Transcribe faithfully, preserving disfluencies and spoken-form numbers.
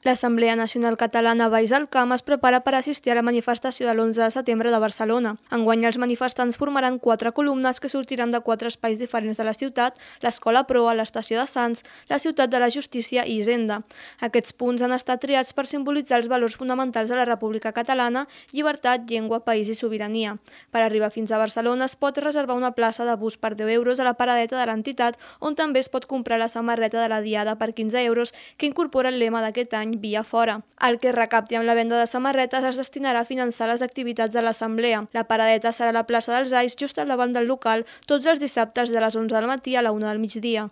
L'Assemblea Nacional Catalana Baix al Camp es prepara per assistir a la manifestació de l'onze de setembre de Barcelona. Enguany els manifestants formaran quatre columnes que sortiran de quatre espais diferents de la ciutat: l'Escola Proa, l'Estació de Sants, la Ciutat de la Justícia i Hisenda. Aquests punts han estat triats per simbolitzar els valors fonamentals de la República Catalana: llibertat, llengua, país i sobirania. Per arribar fins a Barcelona es pot reservar una plaça de bus per deu euros a la paradeta de l'entitat, on també es pot comprar la samarreta de la Diada per quinze euros, que incorpora el lema d'aquest any: Via fora. El que es recapti amb la venda de samarretes es destinarà a finançar les activitats de l'Assemblea. La paradeta serà a la plaça dels Ais, just al davant del local, tots els dissabtes de les onze del matí a la una del migdia.